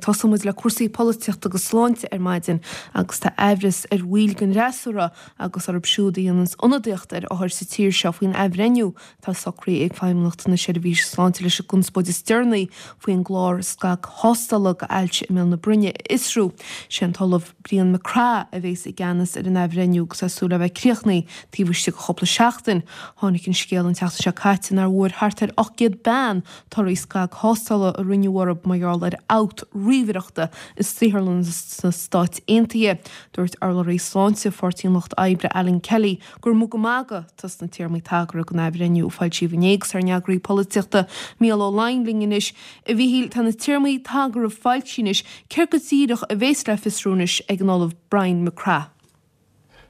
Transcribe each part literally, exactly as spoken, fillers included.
Tosóidh muid le cúrsaí polaitíochta agus sláinte ar maidin agus tá aimhreas ar bhaill den fhreasúra agus orthu siúd a dhéananns ionadaíocht ar othair sa tír seo faoin athbhreithniú atá socraithe ag Feidhmeannacht na Seirbhíse Sláinte leis an gconspóid is deireanaí faoin gclár scagthástála d'ailse i mbéal na broinne a fhiosrú. Sé an tOllamh Brian MacCraith a bhéas i gceannas ar an athbhreithniú agus tá súil le bheith críochnaithe taobh istigh de chúpla seachtain. Tháinig an scéal an tseachtain seo caite nár bhfuair thart ar ocht gcéad bean torthaí scagthástála a rinneadh orthu mar gheall ar fhabht ríomhaireachta i saotharlann sna Stáit Aontaithe. Dúirt urlabhraí sláinte Pháirtí an Lucht Oibre Alan Kelly gur mugadh magadh atá sna téarmaí tagartha don athbhreithniú a foilsíodh inné agus ár n-eagraí polaitíochta Mícheál Ó Laighin linn anois. A Mhíchíl, tá na téarmaí tagartha foilsithe anois, céard go díreach a bhéas le fiosrú anois ag an Ollamh Brian MacCraith?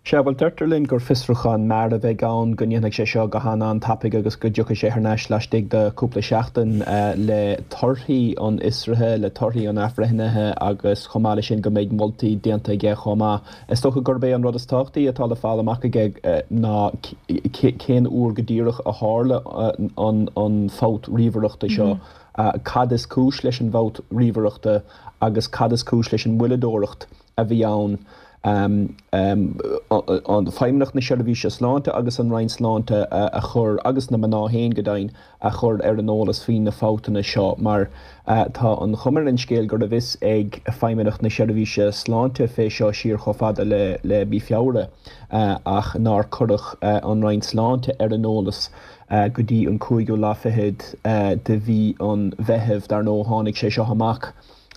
Sea, bhuel, deirtear linn gur fiosrúchán mear a bheidh ann, go ndéanfaidh sé seo go han-an-tapaidh agus go dtiocfaidh sé thar n-ais laistigh de chúpla seachtain le torthaí an fhiosraithe, le torthaí an athbhreithnithe agus chomh maith leis sin go mbeidh moltaí déanta aige chomh maith. Is dócha gurb é an rud is tábhachtaí atá le fáil amach aige ná cén uair go díreach a tharla an fabht ríomhaireachta seo, cad is cúis leis an bhfabht ríomhaireachta agus cad is cúis leis an mhoilleadóireacht a bhí ann. Feidhmeannacht na Seirbhíse Sláinte agus an Roinn Sláinte a chur, agus na mná féin go deimhin, a chur ar an eolas faoi na fabhtanna seo mar tá an chuma ar an scéal go raibh fhios ag Feidhmeannacht na Seirbhíse Sláinte fé seo siar chomh fada le mí Feabhra ach nár cuireadh an Roinn Sláinte ar an eolas go dtí an cúigiú lá fichead de mhí an Mheithimh. Dar ndóigh tháinig sé seo amach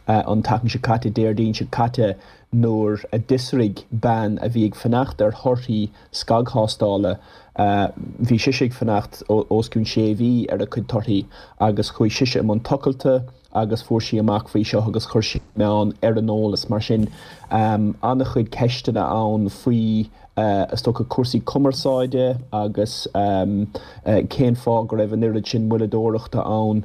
an tseachtain seo caite, Déardaoin seo caite, nuair a d'fhiosraigh bean a bhí ag fanacht ar thorthaí scagthástála, bhí sise ag fanacht os cionn sé mhí ar a cuid torthaí agus chuaigh sise i mbun tochailte agus fuair sí amach faoi seo agus chuir sí na meáin ar an eolas. Mar sin, an-chuid ceisteanna ann faoi, is dócha, cúrsaí cumarsáide agus cén fáth go raibh an oiread sin moilleadóireachta ann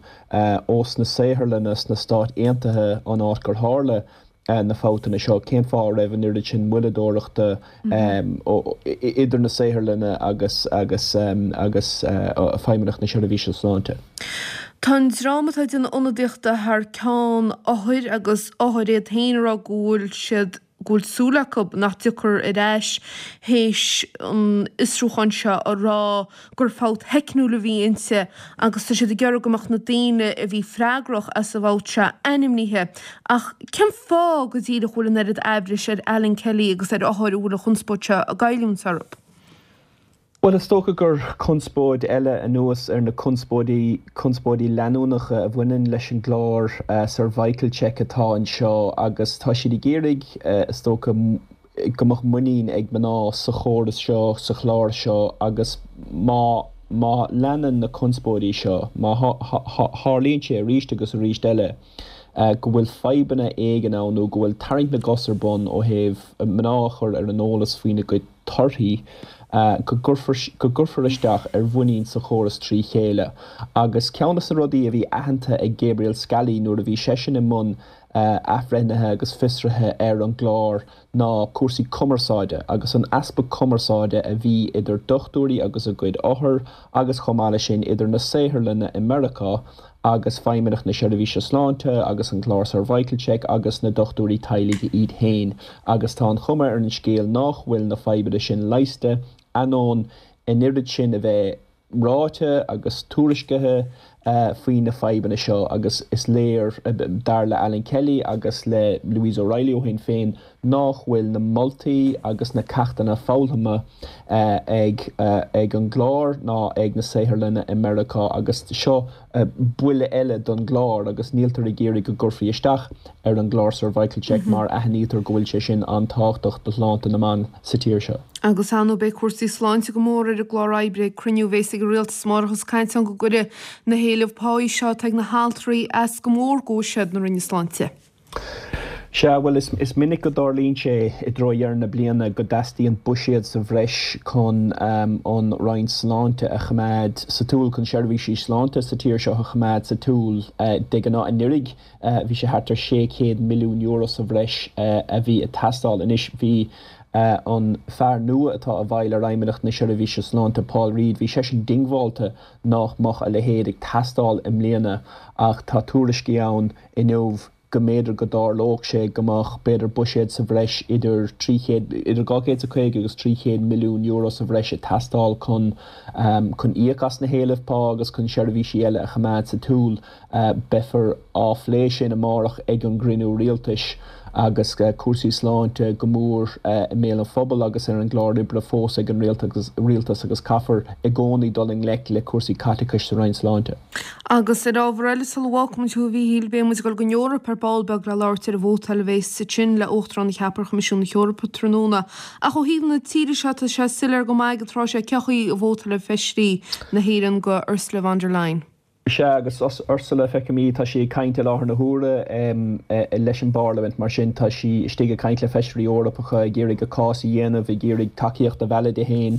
ós na saotharlanna sna Stáit Aontaithe an áit gur tharla na fabhtanna seo, cén fáth a raibh an oiread sin moilleadóireachta idir na saotharlanna agus agus agus Feidhmeannacht na Seirbhíse Sláinte. Tá an dream atá ag déanamh ionadaíochta thar ceann othair agus othair iad féin ag rá go bhfuil siad go bhfuil súil acu nach dtiocfar ar ais théis an fhiosrúcháin seo a rá gur fabht theicniúil a bhí inti agus tá siad ag iarraidh go mbeadh na daoine a bhí freagrach as an bhfabht seo ainmnithe. Ach cén fáth go díreach a bhfuil an oiread aimhris ar Alan Kelly agus ar othair a bhfuil an chonspóid seo ag goilliúint orthu? Bhuel, is dócha gur conspóid eile anuas ar na conspóidí, conspóidí leanúnacha a bhaineann leis an gclár Cervical Check atá anseo agus tá siad ag iarraidh, is dócha, go mbeadh muinín ag mná sa chóras seo, sa chlár seo agus má, má leanann na conspóidí seo, má tharlaíonn sé arís agus arís eile go bhfuil fadhbanna éigin ann nó go bhfuil tarraingt na gcos ar bun ó thaobh mná a chur ar an eolas faoina gcuid torthaí, go gcuirfear isteach ar mhuinín sa chóras trí chéile. Agus ceann de na rudaí a bhí aitheanta ag Gabriel Scally nuair a bhí seisean i mbun athbhreithnithe agus fiosraithe ar an gclár ná cúrsaí cumarsáide agus an easpa cumarsáide a bhí idir dochtúirí agus a gcuid othar agus chomh maith leis sin idir na saotharlanna i Meiriceá agus Feidhmeannacht na Seirbhíse Sláinte agus an clár Cervical Check agus na dochtúirí teaghlaigh iad féin agus tá an chuma ar an scéal nách bhfuil na fadhbanna sin leigheasta ainneoin an oiread sin a bheith ráite agus tuairiscithe faoi na fadhbanna seo agus is léir, dar le Alan Kelly agus le Louise O'Reilly ó Shinn Féin, nách bhfuil na moltaí agus na ceachtanna foghlamtha ag ag an gclár ná ag na saotharlanna i Meiriceá agus seo buille eile don gclár agus níltear ag iarraidh go gcuirfí isteach ar an gclár Cervical Check mar aithnítear go bhfuil sé sin an-tábhachtach do shláinte na mban sa tír seo. Agus ar ndóigh beidh cúrsaí sláinte go mór ar an gclár oibre ag cruinniú a bhéas ag an Rialtas amárach is caint ann go gcuirfidh na héilimh páí seo atá ag na haltraí as go mór do bhuiséad na Roinne Sláinte. Sea, bhuel, is minic go dtarlaíonn sé i dtreo dheireadh na bliana go dteastaíonn buiséad sa bhreis chun an Roinn Sláinte a choimeád sa tsiúl, chun seirbhísí sláinte sa tír seo a choimeád sa tsiúl. De ghnáth anuraidh bhí sé thart ar sé chéad milliún euro sa bhreis a bhí ag teastáil. Anois bhí an fear nua atá i bhfeighil ar Fheidhmeannacht na Seirbhíse Sláinte, Paul Reid, bhí seisean diongbháilte nach mbeadh a leithéid ag teastáil i mbliana ach tá tuairiscí ann inniu, go mb'fhéidir go dtarlódh sé go mbeadh b'fhéidir buiséad sa bhreis idir trí chéad, idir dhá chéad is a caoga agus trí chéad milliún euro sa bhreis ag teastáil chun chun íoc as na héilimh pá agus chun seirbhísí eile a choimeád sa tsiúl. Beifear á phlé sin amárach ag an gcruinniú rialtais agus cúrsaí sláinte go mór i mbéal an phobail agus ar an gclár oibre fós ag an rialtas agus caithfear i gcónaí dul i ngleic le cúrsaí caiteachais sa Roinn Sláinte. Agus ar ábhar eile sula bhfágfaimid thú a Mhíchíl, beidh muid ag dul don Eoraip ar ball beag le labhairt ar an vótáil a bheas ansin le Uachtarán a cheapadh ar Choimisiún na hEorpa tráthnóna. Ach ó thaobh na tíre seo tá sé soiléir go maith ag an tráth seo cén chaoi a vótálfaidh feisirí na hÉireann do Ursula von der Leyen. Sea, agus Ursula, feicim í, tá sí ag caint i láthair na huaire leis an bParlaimint, mar sin tá sí istigh ag caint le feisirí Eorpacha, ag iarraidh a cás a dhéanamh, ag iarraidh tacaíocht a mhealladh di féin.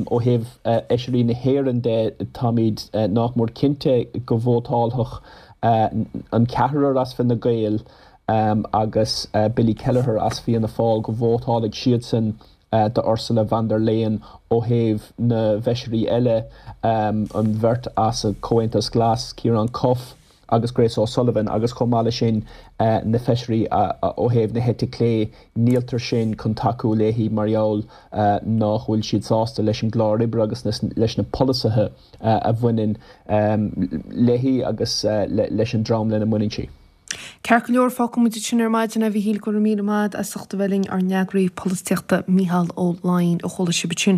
Ó thaobh fheisirí na hÉireann de, táimid nach mór cinnte go vótálfadh an ceathrar as Fine Gael agus Billy Kelleher as Fianna Fáil, go vótálfaidh siadsan d'Ursula von der Leyen ó thaobh na bhfeisirí eile, an bheirt as an Chomhaontas Glas, Ciarán Cuffe agus Grace O'Sullivan, agus chomh maith leis sin na feisirí ó thaobh na heite clé, níltear sin chun tacú léi mar gheall nach bhfuil siad sásta leis an gclár oibre agus leis na polasaithe a bhaineann léi agus leis an dream lena mbaineann sí. Ceart go leor, fágfaidh muid ansin ar maidin é a Mhíchíl, go raibh míle maith agat as ucht a bheith linn, ár n-eagraí polaitíochta Mícheál Ó Laighin a chuala sibh ansin.